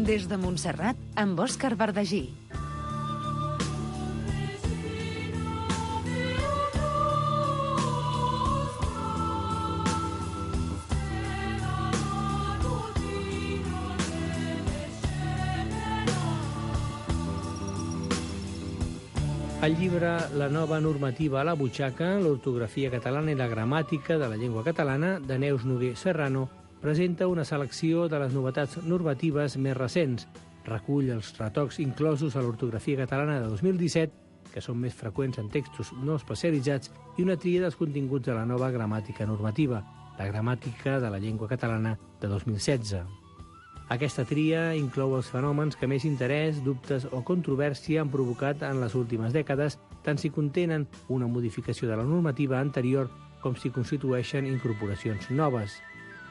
Des de Montserrat, amb Òscar Verdagí. El llibre La nova normativa a la butxaca, l'ortografia catalana i la gramàtica de la llengua catalana, de Neus Noguer Serrano, presenta una selecció de les novetats normatives més recents. Recull els retocs inclosos a l'ortografia catalana de 2017, que són més freqüents en textos no especialitzats, i una tria dels continguts de la nova gramàtica normativa, la gramàtica de la llengua catalana de 2016. Aquesta tria inclou els fenòmens que més interès, dubtes o controvèrsia han provocat en les últimes dècades, tant si contenen una modificació de la normativa anterior com si constitueixen incorporacions noves.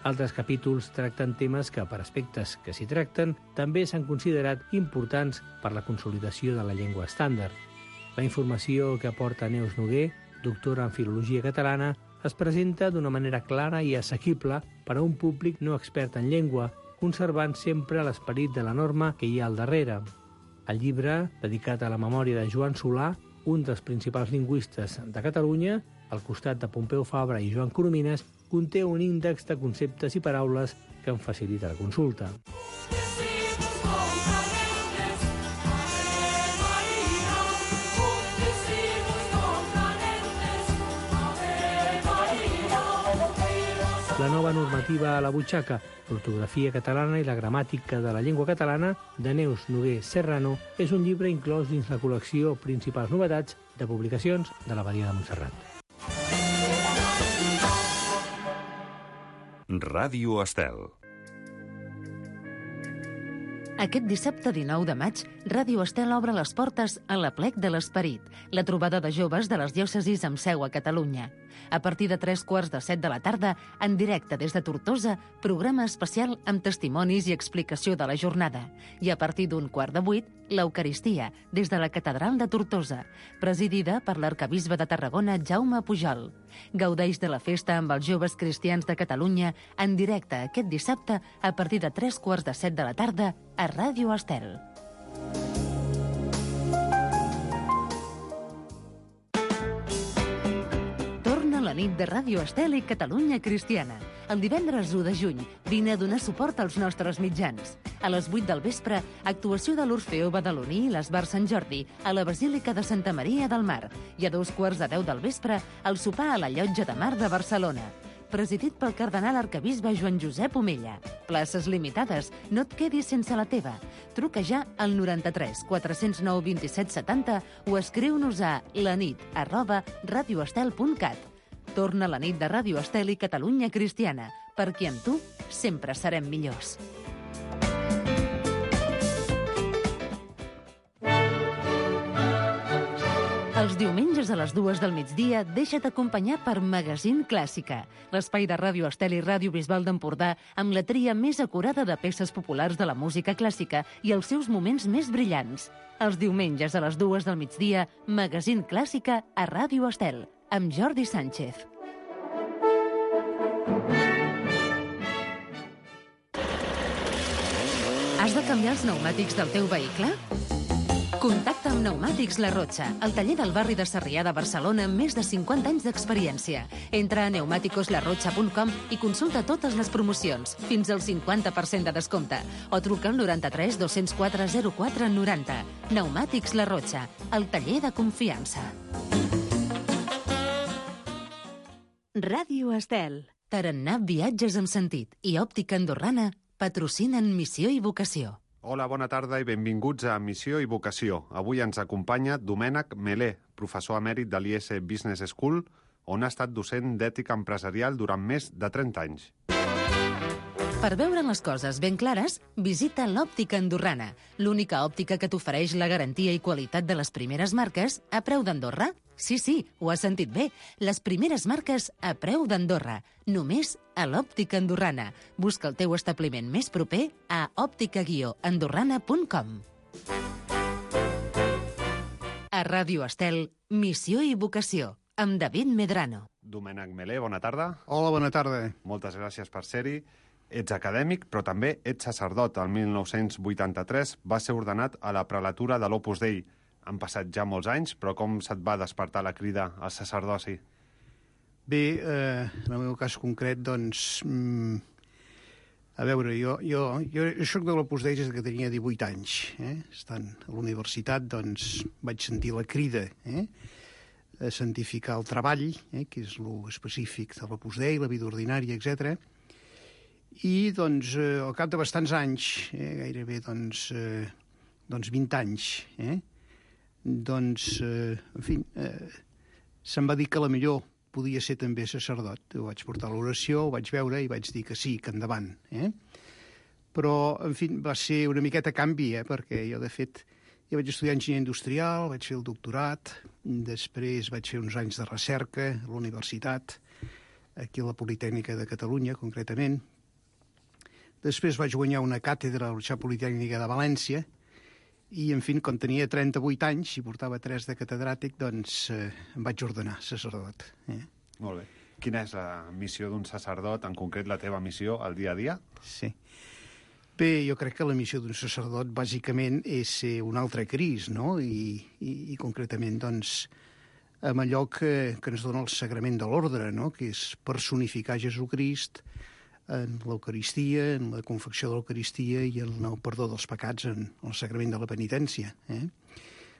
Altres capítols tracten temes que, per aspectes que s'hi tracten, també s'han considerat importants per la consolidació de la llengua estàndard. La informació que aporta Neus Noguer, doctora en Filologia Catalana, es presenta d'una manera clara i assequible per a un públic no expert en llengua, conservant sempre l'esperit de la norma que hi ha al darrere. El llibre, dedicat a la memòria de Joan Solà, un dels principals lingüistes de Catalunya, al costat de Pompeu Fabra i Joan Coromines, conté un índex de conceptes i paraules que en facilita la consulta. La nova normativa a la butxaca, l'ortografia catalana i la gramàtica de la llengua catalana, de Neus Noguer Serrano, és un llibre inclòs dins la col·lecció Principals novetats de publicacions de l'Abadia de Montserrat. Ràdio Estel. Aquest dissabte 19 de maig, Ràdio Estel obre les portes a l'Aplec de l'Esperit, la trobada de joves de les diòcesis amb seu a Catalunya. A partir de 3:45 de la tarda, en directe des de Tortosa, programa especial amb testimonis i explicació de la jornada. I a partir d'7:15, l'Eucaristia, des de la Catedral de Tortosa, presidida per l'arcabisbe de Tarragona, Jaume Pujol. Gaudeix de la festa amb els joves cristians de Catalunya en directe aquest dissabte a partir de 3:15 de la tarda a Ràdio Estel. Torna la nit de Ràdio Estel i Catalunya Cristiana. El divendres 1 de juny vine a donar suport als nostres mitjans. A les 8 del vespre, actuació de l'Orfeó Badaloní i l'Esbar Sant Jordi a la Basílica de Santa Maria del Mar. I a 2:15 del vespre, el sopar a la Llotja de Mar de Barcelona. Presidit pel cardenal arcabisbe Joan Josep Omella. Places limitades, no et quedis sense la teva. Truca ja al 93 409 27 70 o escriu-nos a lanit@radioestel.cat. Torna la nit de Ràdio Estel i Catalunya Cristiana, perquè amb tu sempre serem millors. Els diumenges a les 2 del migdia deixa't acompanyar per Magazín Clàssica, l'espai de Ràdio Estel i Ràdio Bisbal d'Empordà amb la tria més acurada de peces populars de la música clàssica i els seus moments més brillants. Els diumenges a les 2 del migdia, Magazín Clàssica a Ràdio Estel, amb Jordi Sánchez. Has de canviar els pneumàtics del teu vehicle? Contacta amb Pneumàtics La Rotxa, el taller del barri de Sarrià de Barcelona amb més de 50 anys d'experiència. Entra a pneumaticoslarrotxa.com i consulta totes les promocions, fins al 50% de descompte, o truca al 93 204 04 90. Pneumàtics La Rotxa, el taller de confiança. Ràdio Estel. Tarannà Viatges amb Sentit i Òptica Andorrana patrocinen Missió i Vocació. Hola, bona tarda i benvinguts a Missió i Vocació. Avui ens acompanya Domènec Melé, professor emèrit de l'IS Business School, on ha estat docent d'ètica empresarial durant més de 30 anys. Per veure les coses ben clares, visita l'Òptica Andorrana, l'única òptica que t'ofereix la garantia i qualitat de les primeres marques a preu d'Andorra. Sí, ho has sentit bé. Les primeres marques a preu d'Andorra. Només a l'Òptica Andorrana. Busca el teu establiment més proper a òptica-andorrana.com. A Ràdio Estel, Missió i Vocació, amb David Medrano. Domènec Melé, bona tarda. Hola, bona tarda. Moltes gràcies per ser-hi. Ets acadèmic, però també ets sacerdot. El 1983 va ser ordenat a la prelatura de l'Opus Dei. Han passat ja molts anys, però com se't va despertar la crida al sacerdoci? Bé, en el meu cas concret, doncs... A veure, jo soc de l'Opus Dei des que tenia 18 anys. Estant a la universitat, doncs, vaig sentir la crida a santificar el treball, que és l'específic de l'Opus Dei, la vida ordinària, etc. I, doncs, al cap de bastants anys, gairebé, doncs 20 anys, doncs, en fi, se'm va dir que la millor podia ser també sacerdot. Ho vaig portar a l'oració, ho vaig veure i vaig dir que sí, que endavant. Però, en fi, va ser una miqueta canvi, perquè jo, de fet, ja vaig estudiar enginyeria industrial, vaig fer el doctorat, després vaig fer uns anys de recerca a la universitat, aquí a la Politècnica de Catalunya, concretament. Després vaig guanyar una càtedra a la Universitat Politècnica de València, i, en fi, quan tenia 38 anys i portava 3 de catedràtic, doncs em vaig ordenar sacerdot. Molt bé. Quina és la missió d'un sacerdot, en concret la teva missió al dia a dia? Sí. Bé, jo crec que la missió d'un sacerdot, bàsicament, és ser un altre Crist, no? I concretament, doncs, amb allò que ens dona el sagrament de l'ordre, no? Que és personificar Jesucrist en l'Eucaristia, en la confecció de l'Eucaristia i en el perdó dels pecats en el sagrament de la penitència.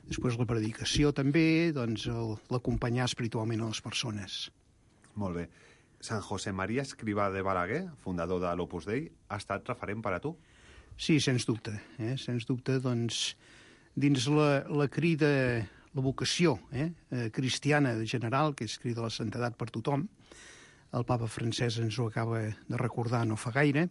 Després la predicació també, doncs l'acompanyar espiritualment a les persones. Molt bé. Sant José María Escrivà de Balaguer, fundador de l'Opus Dei, ha estat referent per a tu? Sí, sens dubte. Sens dubte, doncs, dins la crida, la vocació cristiana general, que és crida la santedat per tothom, el papa Francesc ens ho acaba de recordar no fa gaire,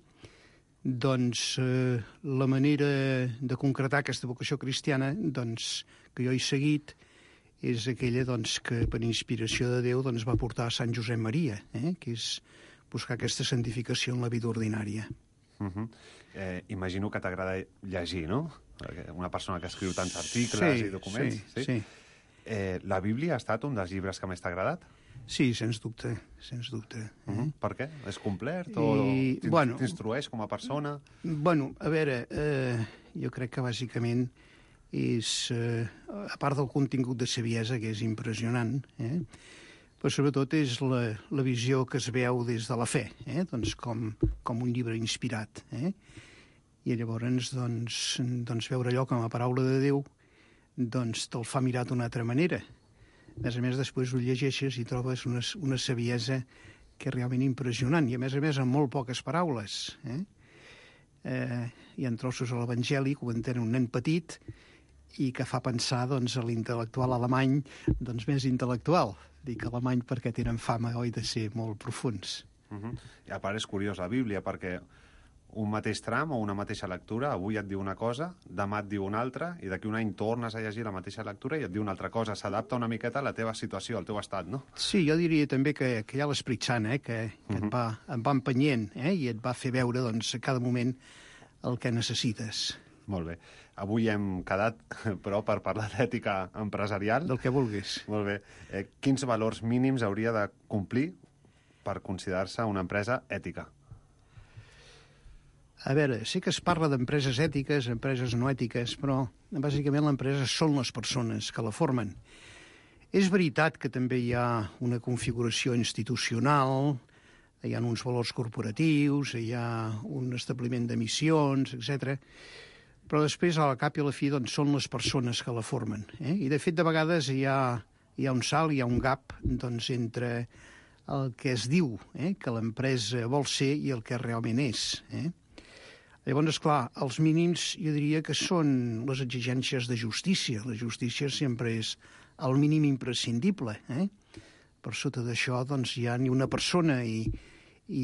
doncs la manera de concretar aquesta vocació cristiana doncs, que jo he seguit és aquella doncs, que per inspiració de Déu doncs, va portar a Sant Josep Maria, que és buscar aquesta santificació en la vida ordinària. Imagino que t'agrada llegir, no? Una persona que escriu tants articles i documents. Sí. La Bíblia ha estat un dels llibres que més t'ha agradat? Sí, sens dubte, sens dubte. Per què? És complet o t'instrueix com a persona? Bueno, a veure, jo crec que bàsicament és, a part del contingut de saviesa, que és impressionant, però sobretot és la visió que es veu des de la fe, doncs com un llibre inspirat. I llavors, doncs, veure allò com a paraula de Déu doncs te'l fa mirar d'una altra manera. A més, després ho llegeixes i trobes una saviesa que és realment impressionant, i a més, amb molt poques paraules. Hi ha trossos a l'Evangeli que ho entén un nen petit i que fa pensar doncs, a l'intel·lectual alemany doncs, més intel·lectual. Dic alemany perquè tenen fama, oi, de ser molt profuns. I a part és curiós la Bíblia, perquè un mateix tram o una mateixa lectura, avui et diu una cosa, demà et diu una altra, i d'aquí un any tornes a llegir la mateixa lectura i et diu una altra cosa. S'adapta una miqueta a la teva situació, al teu estat, no? Sí, jo diria també que hi ha l'Esperit Sant, que et va empenyent i et va fer veure doncs, a cada moment el que necessites. Molt bé. Avui hem quedat, però, per parlar d'ètica empresarial. Del que vulguis. Molt bé. Quins valors mínims hauria de complir per considerar-se una empresa ètica? A veure, sé que es parla d'empreses ètiques, empreses no ètiques, però bàsicament l'empresa són les persones que la formen. És veritat que també hi ha una configuració institucional, hi ha uns valors corporatius, hi ha un establiment de missions, etc. Però després, a la cap i a la fi, doncs, són les persones que la formen. I, de fet, de vegades hi ha un salt, hi ha un gap doncs, entre el que es diu que l'empresa vol ser i el que realment és. Llavors, esclar, els mínims jo diria que són les exigències de justícia. La justícia sempre és el mínim imprescindible. Per sota d'això doncs, hi ha ni una persona i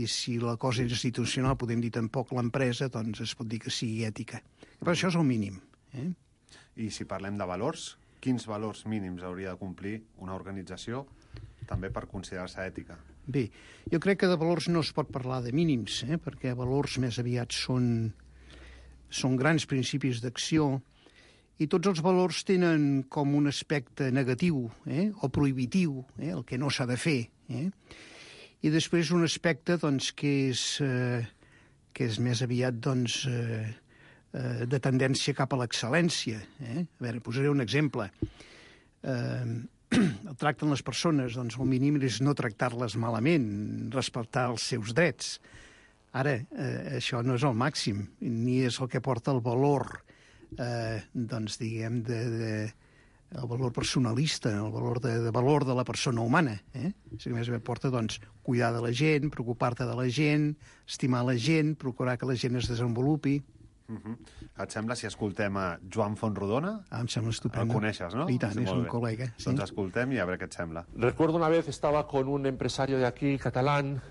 si la cosa és institucional, podem dir tampoc l'empresa, doncs es pot dir que sigui ètica. Però això és el mínim. I si parlem de valors, quins valors mínims hauria de complir una organització també per considerar-se ètica? Bé, jo crec que de valors no es pot parlar de mínims, perquè valors més aviat són grans principis d'acció i tots els valors tenen com un aspecte negatiu o prohibitiu, el que no s'ha de fer. I després un aspecte doncs, que que és més aviat, doncs, de tendència cap a l'excel·lència. A veure, posaré un exemple. El tracte amb les persones, doncs el mínim és no tractar-les malament, respectar els seus drets. Ara, això no és el màxim, ni és el que porta el valor, doncs, diguem, el valor personalista, el valor de la persona humana. Si a més porta, doncs, cuidar de la gent, preocupar-te de la gent, estimar la gent, procurar que la gent es desenvolupi. Et sembla si escoltem a Joan Fontrodona? Em sembla estupendo. El coneixes, no? I tant, és un col·lega. Sí. Doncs escoltem i a veure què et sembla. Recuerdo una vez estaba con un empresario de aquí, catalán,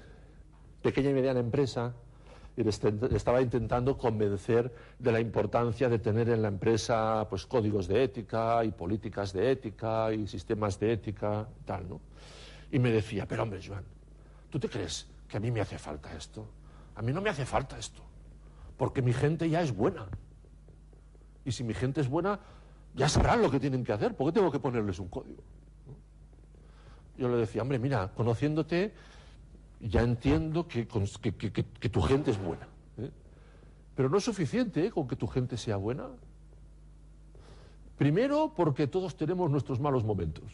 pequeña y mediana empresa, y le estaba intentando convencer de la importancia de tener en la empresa pues códigos de ética y políticas de ética y sistemas de ética, tal, ¿no? Y me decía, pero hombre, Joan, ¿tú te crees que a mí me hace falta esto? A mí no me hace falta esto, porque mi gente ya es buena. Y si mi gente es buena, ya sabrán lo que tienen que hacer. ¿Por qué tengo que ponerles un código? ¿No? Yo le decía, hombre, mira, conociéndote, ya entiendo que tu gente es buena. Pero no es suficiente con que tu gente sea buena. Primero, porque todos tenemos nuestros malos momentos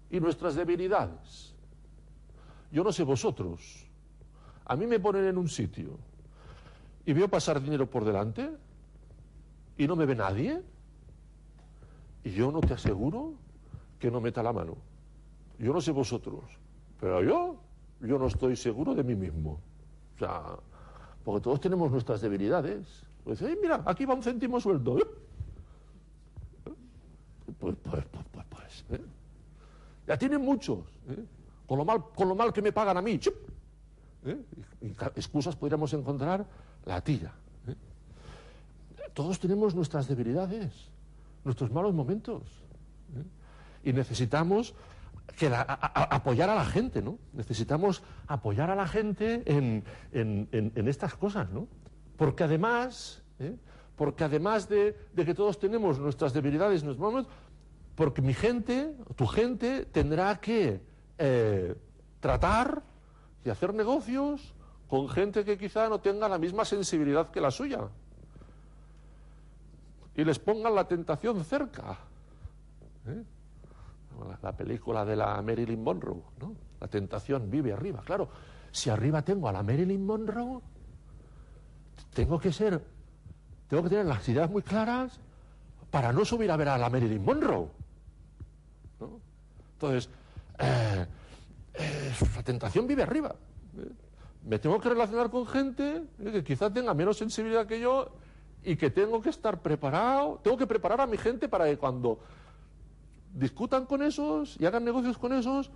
y nuestras debilidades. Yo no sé vosotros. A mí me ponen en un sitio y veo pasar dinero por delante y no me ve nadie, y yo no te aseguro que no meta la mano. Yo no sé vosotros, pero yo no estoy seguro de mí mismo. O sea, porque todos tenemos nuestras debilidades. Pues, mira, aquí va un céntimo sueldo. Pues. Ya tienen muchos. Con lo mal que me pagan a mí. Y excusas podríamos encontrar la tira. Todos tenemos nuestras debilidades, nuestros malos momentos. Y necesitamos apoyar a la gente, ¿no? Necesitamos apoyar a la gente en estas cosas, ¿no? Porque además de que todos tenemos nuestras debilidades, nuestros momentos, porque mi gente, tu gente, tendrá que tratar y hacer negocios con gente que quizá no tenga la misma sensibilidad que la suya. Y les pongan la tentación cerca. La película de la Marilyn Monroe, ¿no? La tentación vive arriba. Claro, si arriba tengo a la Marilyn Monroe, tengo que tener las ideas muy claras para no subir a ver a la Marilyn Monroe, ¿no? Entonces, la tentación vive arriba. Me tengo que relacionar con gente que quizá tenga menos sensibilidad que yo y que tengo que estar preparado, tengo que preparar a mi gente para que cuando discutan con esos y hagan negocios con esos,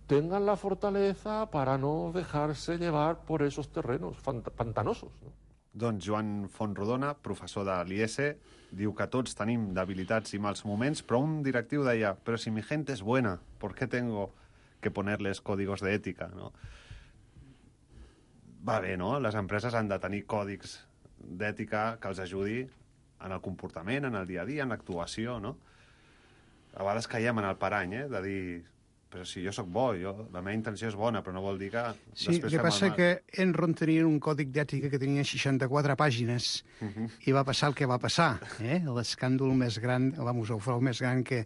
tengan la fortaleza para no dejarse llevar por esos terrenos pantanosos, no? Doncs Joan Fontrodona, professor de l'IES, diu que tots tenim debilitats i mals moments, però un directiu deia, però si mi gente es buena, ¿por qué tengo que ponerles códigos de ética, no? Va bé, no? Les empreses han de tenir còdics d'ètica que els ajudi en el comportament, en el dia a dia, en l'actuació, no? A vegades caiem en el parany, de dir, però si jo sóc bo, la meva intenció és bona, però no vol dir que... Sí, el que passa que Enron tenia un còdic d'ètica que tenia 64 pàgines i va passar el que va passar, l'escàndol més gran, el més gran que...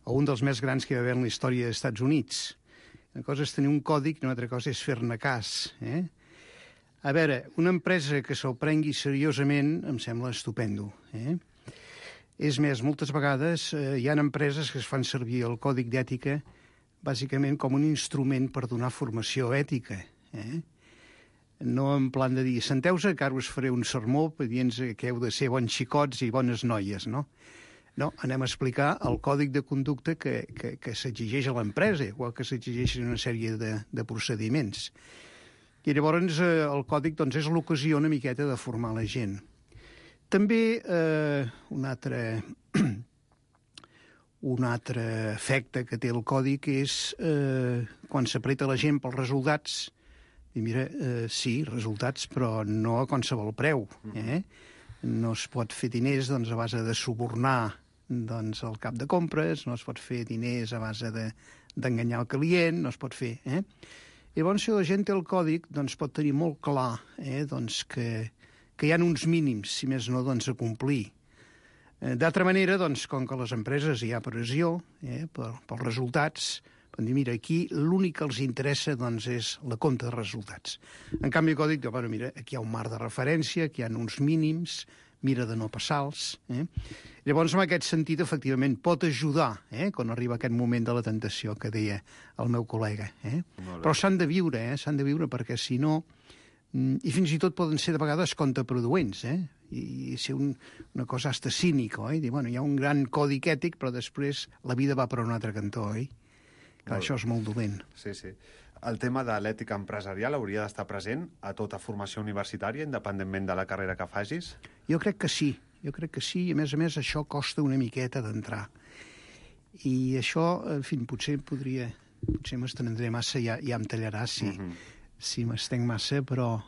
o un dels més grans que hi va haver en la història dels Estats Units. Una cosa és tenir un còdic i una altra cosa és fer-ne cas, A veure, una empresa que se'l prengui seriosament em sembla estupendo, És més, moltes vegades hi ha empreses que es fan servir el còdic d'ètica bàsicament com un instrument per donar formació ètica, No en plan de dir, senteu-se que ara us faré un sermó dient que heu de ser bons xicots i bones noies, no? No, anem a explicar el còdic de conducta que s'exigeix a l'empresa, igual que s'exigeixen una sèrie de procediments. I llavors el còdic doncs, és l'ocasió una miqueta de formar la gent. També un altre efecte que té el còdic és quan s'apreta la gent pels resultats, i mira, sí, resultats, però no a qualsevol preu. No es pot fer diners doncs, a base de subornar doncs, el cap de compres, no es pot fer diners a base d'enganyar el client, no es pot fer. Llavors, si la gent té el còdic, doncs pot tenir molt clar doncs que hi ha uns mínims, si més no, doncs, a complir. D'altra manera, doncs, com que a les empreses hi ha pressió pels resultats, van dir, mira, aquí l'únic que els interessa doncs, és la compta de resultats. En canvi, el còdic diu, bueno, mira, aquí hi ha un marc de referència, aquí hi ha uns mínims, mira de no passar-los. Llavors, en aquest sentit, efectivament, pot ajudar quan arriba aquest moment de la tentació que deia el meu col·lega. Però s'han de viure, perquè si no... I fins i tot poden ser de vegades contraproduents, i ser una cosa hasta cínica, oi? Dir, bueno, hi ha un gran codi ètic, però després la vida va per un altre cantó, oi? Clar, això és molt dolent. Sí, sí. El tema de l'ètica empresarial hauria d'estar present a tota formació universitària, independentment de la carrera que facis? Jo crec que sí, i a més això costa una miqueta d'entrar. I això, en fi, potser m'estendré massa, ja em tallarà si m'estenc massa, però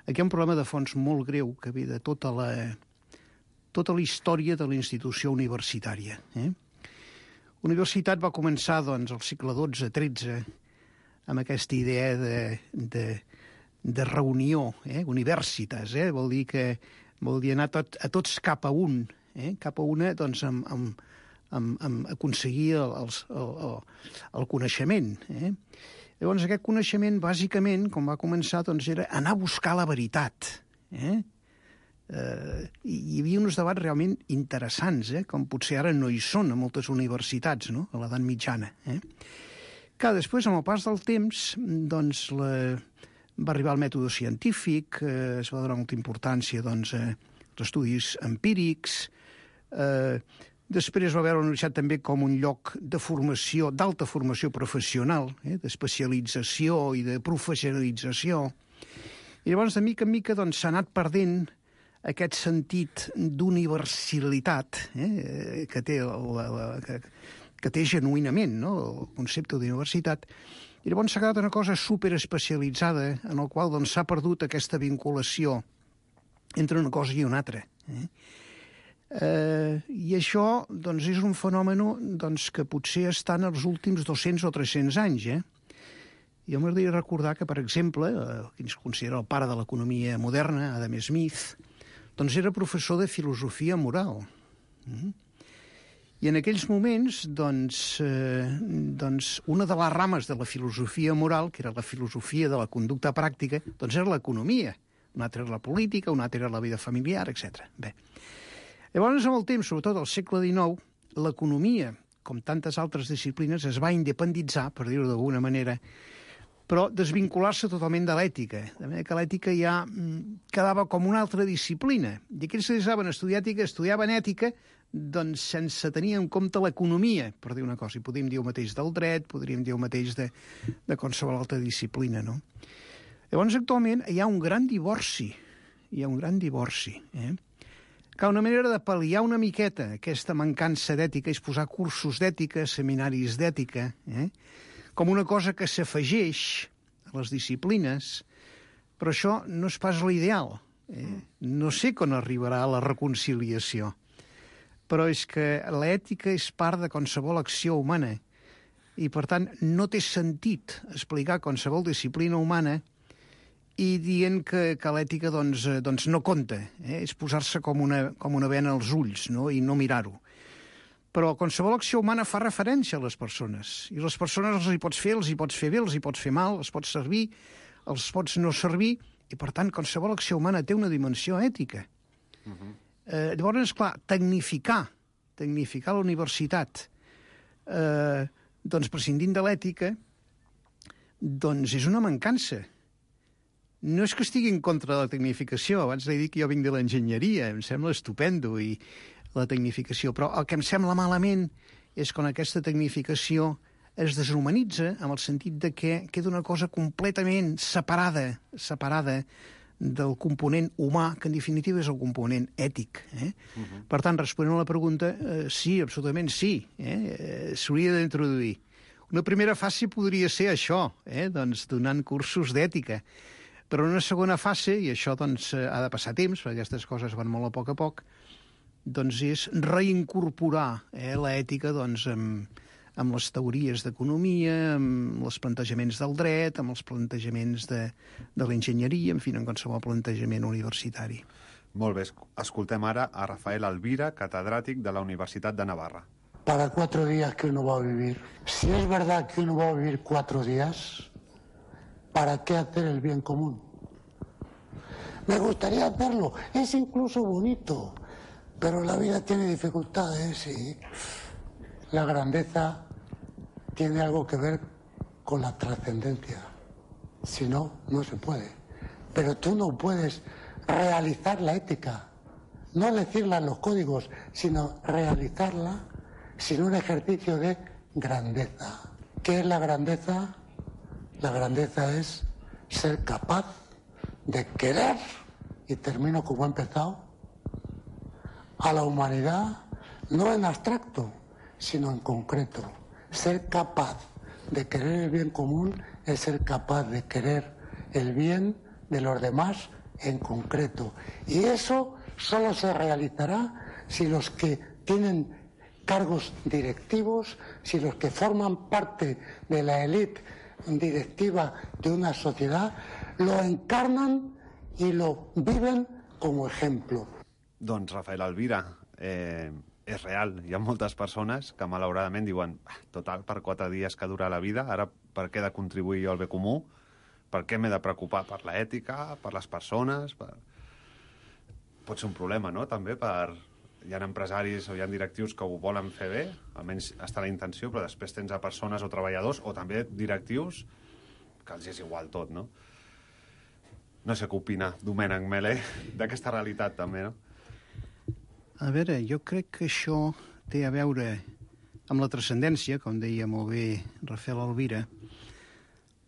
aquí hi ha un problema de fons molt greu que ve de tota la història de la institució universitària. La universitat va començar, doncs, al segle XII-XIII, amb aquesta idea de reunió, universitas, vol dir anar a tots cap a un, cap a una, doncs, amb aconseguir el coneixement. Llavors, aquest coneixement, bàsicament, com va començar, doncs, era anar a buscar la veritat. Hi havia uns debats realment interessants, com potser ara no hi són a moltes universitats, no?, a l'edat mitjana. Que després, amb el pas del temps, doncs, va arribar el mètode científic, es va donar molta importància, doncs, als estudis empírics. Després va veure la universitat també com un lloc de formació, d'alta formació professional, d'especialització i de professionalització. I llavors, de mica en mica, doncs, s'ha anat perdent aquest sentit d'universalitat que té genuïnament, no?, el concepte d'universitat. I llavors s'ha quedat una cosa superespecialitzada en el qual doncs, s'ha perdut aquesta vinculació entre una cosa i una altra. I això doncs, és un fenomen doncs, que potser està en els últims 200 o 300 anys. Jo m'agradaria recordar que, per exemple, qui es considera el pare de l'economia moderna, Adam Smith, doncs era professor de filosofia moral. I en aquells moments, doncs, una de les rames de la filosofia moral, que era la filosofia de la conducta pràctica, doncs era l'economia. Una altra era la política, una altra era la vida familiar, etc. Bé. Llavors, amb el temps, sobretot al segle XIX, l'economia, com tantes altres disciplines, es va independitzar, per dir-ho d'alguna manera, però desvincular-se totalment de l'ètica. De manera que l'ètica ja quedava com una altra disciplina. I aquells que saben estudiar ètica, estudiaven ètica, doncs sense tenir en compte l'economia, per dir una cosa. I podríem dir el mateix del dret, podríem dir el mateix de qualsevol altra disciplina, no? Llavors, actualment, hi ha un gran divorci. Que una manera de pal·liar una miqueta aquesta mancança d'ètica és posar cursos d'ètica, seminaris d'ètica, com una cosa que s'afegeix a les disciplines, però això no és pas l'ideal. No sé quan arribarà la reconciliació, però és que l'ètica és part de qualsevol acció humana i, per tant, no té sentit explicar qualsevol disciplina humana i dient que l'ètica doncs no compta. És posar-se com una bena als ulls, no?, i no mirar-ho. Però qualsevol acció humana fa referència a les persones. I les persones els hi pots fer bé, els hi pots fer mal, els pots servir, els pots no servir, i per tant qualsevol acció humana té una dimensió ètica. Llavors, clar, tecnificar la universitat, doncs prescindint de l'ètica, doncs és una mancança. No és que estigui en contra de la tecnificació, abans he dit que jo vinc de l'enginyeria, em sembla estupendo i la tecnificació, però el que em sembla malament és quan aquesta tecnificació es deshumanitza en el sentit de que queda una cosa completament separada del component humà, que en definitiva és el component ètic. Per tant, responent a la pregunta, sí, absolutament sí, s'hauria d'introduir. Una primera fase podria ser això, doncs donant cursos d'ètica, però en una segona fase, i això doncs, ha de passar temps, perquè aquestes coses van molt a poc, doncs és reincorporar l'ètica doncs, amb les teories d'economia, amb els plantejaments del dret, amb els plantejaments de l'enginyeria, en fi, en qualsevol plantejament universitari. Molt bé, escoltem ara a Rafael Alvira, catedràtic de la Universitat de Navarra. Para 4 días que uno va a vivir. Si es verdad que uno va a vivir 4 días, ¿para qué hacer el bien común? Me gustaría hacerlo, es incluso bonito, pero la vida tiene dificultades y la grandeza tiene algo que ver con la trascendencia. Si no, no se puede. Pero tú no puedes realizar la ética, no decirla en los códigos, sino realizarla sin un ejercicio de grandeza. ¿Qué es la grandeza? La grandeza es ser capaz de querer, y termino como he empezado, a la humanidad, no en abstracto, sino en concreto. Ser capaz de querer el bien común es ser capaz de querer el bien de los demás en concreto. Y eso solo se realizará si los que tienen cargos directivos, si los que forman parte de la élite directiva de una sociedad lo encarnan y lo viven como ejemplo. Doncs, Rafael Alvira, és real. Hi ha moltes persones que malauradament diuen total, per 4 dies que dura la vida, ara per què he de contribuir jo al bé comú? Per què m'he de preocupar per l'ètica, per les persones? Pot ser un problema, no?, també per... Hi ha empresaris o hi ha directius que ho volen fer bé, almenys està la intenció, però després tens a persones o treballadors, o també directius, que els és igual tot, no? No sé què opina Domènec Melé d'aquesta realitat, també, no? A veure, jo crec que això té a veure amb la transcendència, com deia molt bé Rafael Alvira,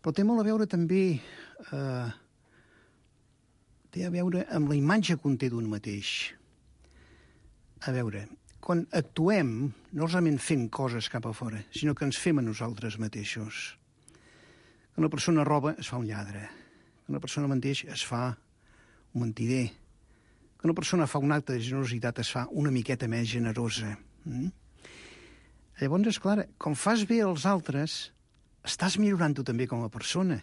però té molt a veure també té a veure amb la imatge que un té d'un mateix. A veure, quan actuem, no solament fem coses cap a fora, sinó que ens fem a nosaltres mateixos. Que una persona roba, es fa un lladre. Que una persona menteix, es fa un mentider. Que una persona fa un acte de generositat, es fa una miqueta més generosa. Llavors, esclar, com fas bé als altres, estàs millorant tu també com a persona.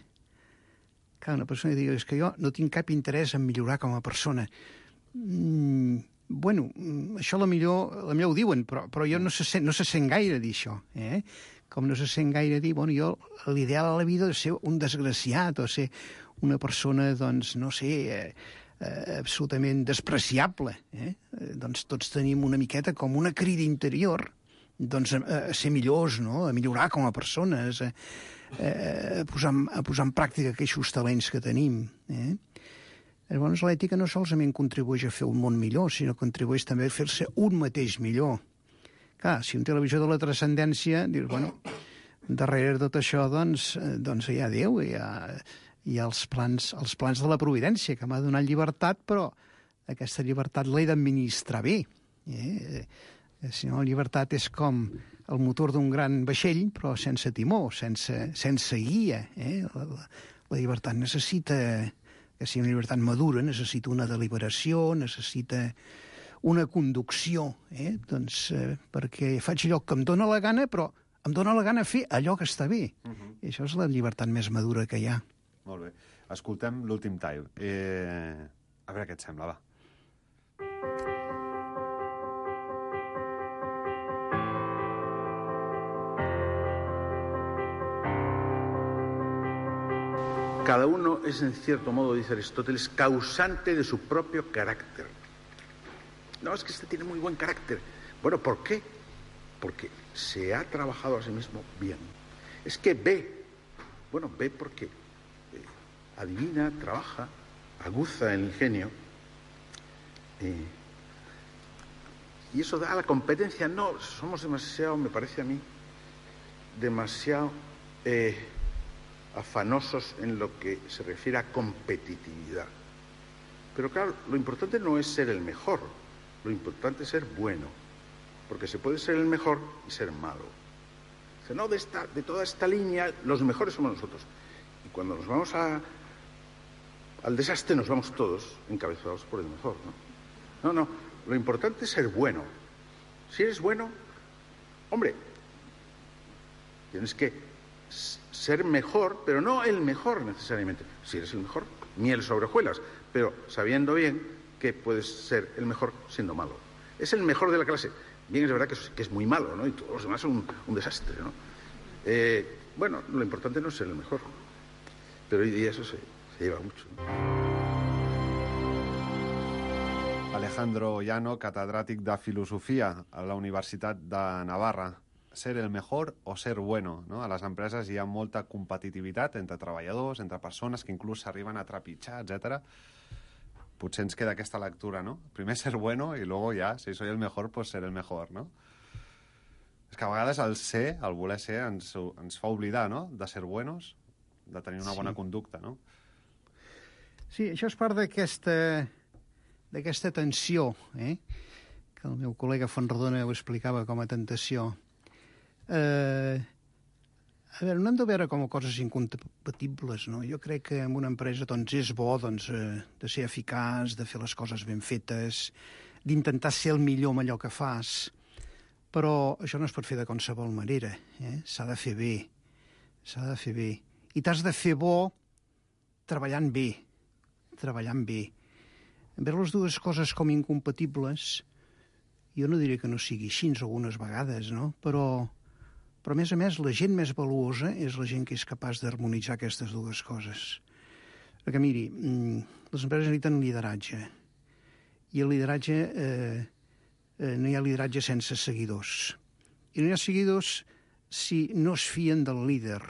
Clar, una persona que digui, és que jo no tinc cap interès en millorar com a persona. Bueno, això la millor ho diuen, però jo no se sent gaire dir això, Com no se sent gaire dir, bueno, jo l'ideal a la vida és ser un desgraciat o ser una persona, doncs, no sé, absolutament despreciable. Doncs tots tenim una miqueta com una crida interior, doncs, a ser millors, no?, a millorar com a persones, a posar en pràctica aquells talents que tenim, Llavors, l'ètica no solament contribueix a fer un món millor, sinó que contribueix també a fer-se un mateix millor. Clar, si un té la visió de la transcendència, dius, bueno, darrere de tot això, doncs hi ha Déu, hi ha els plans de la providència, que m'ha donat llibertat, però aquesta llibertat l'he d'administrar bé. Si no, la llibertat és com el motor d'un gran vaixell, però sense timó, sense guia. La llibertat necessita... que si una llibertat madura necessita una deliberació, necessita una conducció, doncs, perquè faig allò que em dóna la gana, però em dóna la gana fer allò que està bé. I això és la llibertat més madura que hi ha. Molt bé. Escoltem l'últim tall. A veure què et sembla, va. Cada uno es, en cierto modo, dice Aristóteles, causante de su propio carácter. No, es que este tiene muy buen carácter. Bueno, ¿por qué? Porque se ha trabajado a sí mismo bien. Es que ve porque adivina, trabaja, aguza el ingenio. Y eso da la competencia. No, somos demasiado, me parece a mí, demasiado... afanosos en lo que se refiere a competitividad. Pero claro, lo importante no es ser el mejor, lo importante es ser bueno, porque se puede ser el mejor y ser malo. O sea, no, de toda esta línea, los mejores somos nosotros. Y cuando nos vamos al desastre, nos vamos todos encabezados por el mejor, ¿no? No, lo importante es ser bueno. Si eres bueno, hombre, Tienes que ser mejor, pero no el mejor necesariamente. Si eres el mejor, miel sobre hojuelas, pero sabiendo bien que puedes ser el mejor siendo malo. Es el mejor de la clase. Bien, es verdad que es muy malo, ¿no? Y todos los demás son un desastre, ¿no? Bueno, lo importante no es ser el mejor, pero hoy día eso se lleva mucho, ¿no? Alejandro Llano, catedràtic de Filosofia a la Universitat de Navarra. Ser el mejor o ser bueno, no? A les empreses hi ha molta competitivitat entre treballadors, entre persones que inclús s'arriben a trepitjar, etc. Potser ens queda aquesta lectura, no? Primer ser bueno i luego ja, si soy el mejor, pues ser el mejor, no? És que a vegades el ser, el voler ser, ens fa oblidar, no?, de ser buenos, de tenir una bona conducta, no? Sí, això és part d'aquesta tensió, que el meu col·lega Fontrodona ho explicava com a tentació. A veure, no hem de veure com a coses incompatibles, no? Jo crec que en una empresa doncs, és bo de ser eficaç, de fer les coses ben fetes, d'intentar ser el millor amb allò que fas, però això no es pot fer de qualsevol manera. S'ha de fer bé, s'ha de fer bé. I t'has de fer bo treballant bé, Veure les dues coses com incompatibles, jo no diré que no sigui així algunes vegades, no? Però a més a més, la gent més valuosa és la gent que és capaç d'harmonitzar aquestes dues coses. Perquè, miri, les empreses necessiten lideratge. I el lideratge, no hi ha lideratge sense seguidors. I no hi ha seguidors si no es fien del líder.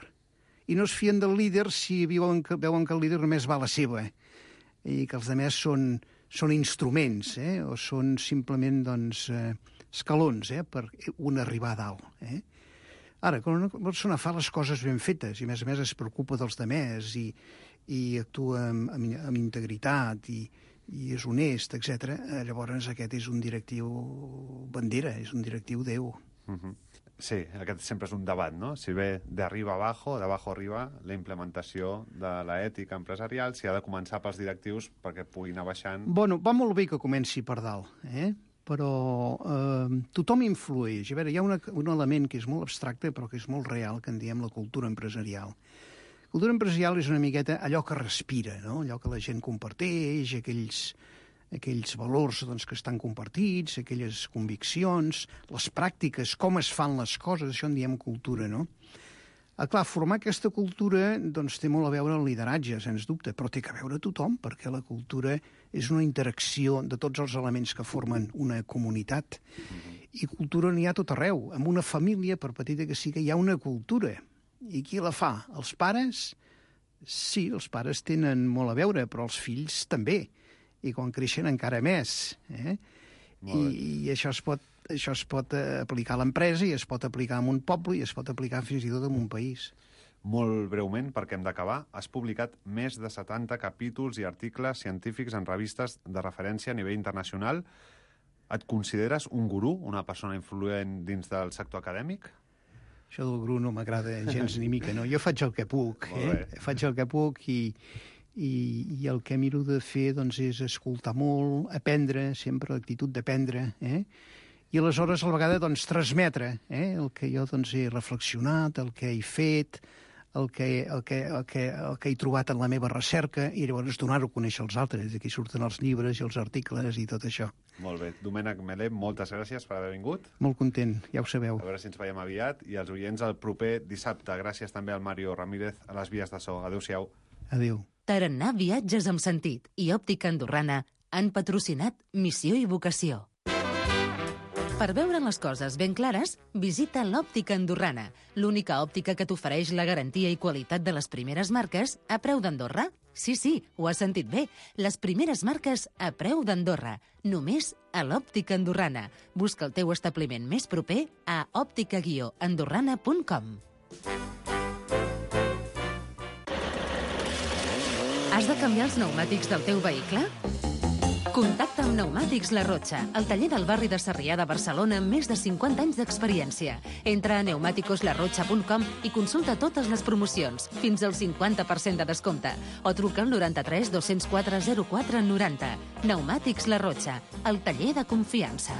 I no es fien del líder si veuen que el líder només va a la seva i que els altres són instruments, o són simplement escalons per un arribar a dalt. Ara, quan una persona fa les coses ben fetes i, a més es preocupa dels altres i actua amb integritat i és honest, etc., llavors aquest és un directiu bandera, és un directiu Déu. Sí, aquest sempre és un debat, no? Si ve d'arriba a abajo, d'abajo arriba, la implementació de l'ètica empresarial, si ha de començar pels directius perquè pugui anar baixant... Bueno, va molt bé que comenci per dalt, però tothom influeix. A veure, hi ha un element que és molt abstracte però que és molt real, que en diem la cultura empresarial. La cultura empresarial és una miqueta allò que respira, no? Allò que la gent comparteix, aquells valors que estan compartits, aquelles conviccions, les pràctiques, com es fan les coses, això en diem cultura, no? Clar, formar aquesta cultura té molt a veure el lideratge, sens dubte, però té que veure tothom, perquè la cultura és una interacció de tots els elements que formen una comunitat. I cultura n'hi ha tot arreu. En una família, per petita que sigui, hi ha una cultura. I qui la fa? Els pares? Sí, els pares tenen molt a veure, però els fills també. I quan creixen encara més. I això es pot aplicar a l'empresa i es pot aplicar a un poble i es pot aplicar fins i tot a un país. Molt breument, perquè hem d'acabar, has publicat més de 70 capítols i articles científics en revistes de referència a nivell internacional. Et consideres un gurú, una persona influent dins del sector acadèmic? Això del gurú no m'agrada gens ni mica, no? Jo faig el que puc, faig el que puc i el que miro de fer és escoltar molt, aprendre, sempre l'actitud d'aprendre, i aleshores a la vegada transmetre el que jo he reflexionat, el que he fet, el que he trobat en la meva recerca i llavors donar-ho a conèixer als altres. D'aquí surten els llibres i els articles i tot això. Molt bé. Domènec Melé, moltes gràcies per haver vingut. Molt content, ja ho sabeu. A veure si ens veiem aviat i els oients el proper dissabte. Gràcies també al Mario Ramírez a les vies de so. Adéu-siau. Adéu. Tarannà Viatges amb Sentit i Òptica Andorrana han patrocinat Missió i Vocació. Per veure les coses ben clares, visita l'Òptica Andorrana, l'única òptica que t'ofereix la garantia i qualitat de les primeres marques a preu d'Andorra. Sí, ho has sentit bé. Les primeres marques a preu d'Andorra. Només a l'Òptica Andorrana. Busca el teu establiment més proper a òptica-andorrana.com. Has de canviar els pneumàtics del teu vehicle? Contacta amb Pneumàtics La Rocha, el taller del barri de Sarrià de Barcelona amb més de 50 anys d'experiència. Entra a pneumaticoslarrocha.com i consulta totes les promocions, fins al 50% de descompte, o truca al 93 204 04 90. Pneumàtics La Rocha, el taller de confiança.